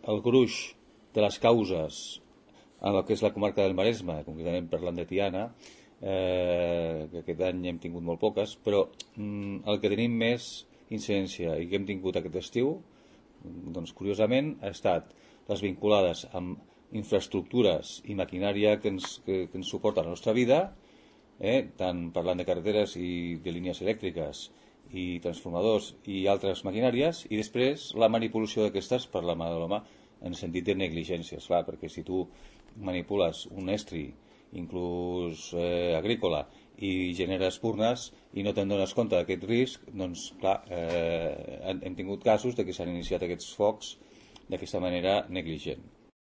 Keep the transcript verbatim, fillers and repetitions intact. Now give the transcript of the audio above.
el gruix de les causes en el que és la comarca del Maresme, concretament parlant de Tiana, eh, que aquest any hem tingut molt poques, però mm, el que tenim més incidència i que hem tingut aquest estiu, doncs curiosament ha estat les vinculades amb infraestructures i maquinària que ens, que, que ens suporta la nostra vida, eh, tant parlant de carreteres i de línies elèctriques i transformadors i altres maquinàries, i després la manipulació d'aquestes per la mà de l'home en sentit de negligències, clar, perquè si tu manipules un estri, inclús eh, agrícola, i generes espurnes i no te'n dones compte d'aquest risc, doncs clar, eh, hem tingut casos de que s'han iniciat aquests focs d'aquesta manera negligent.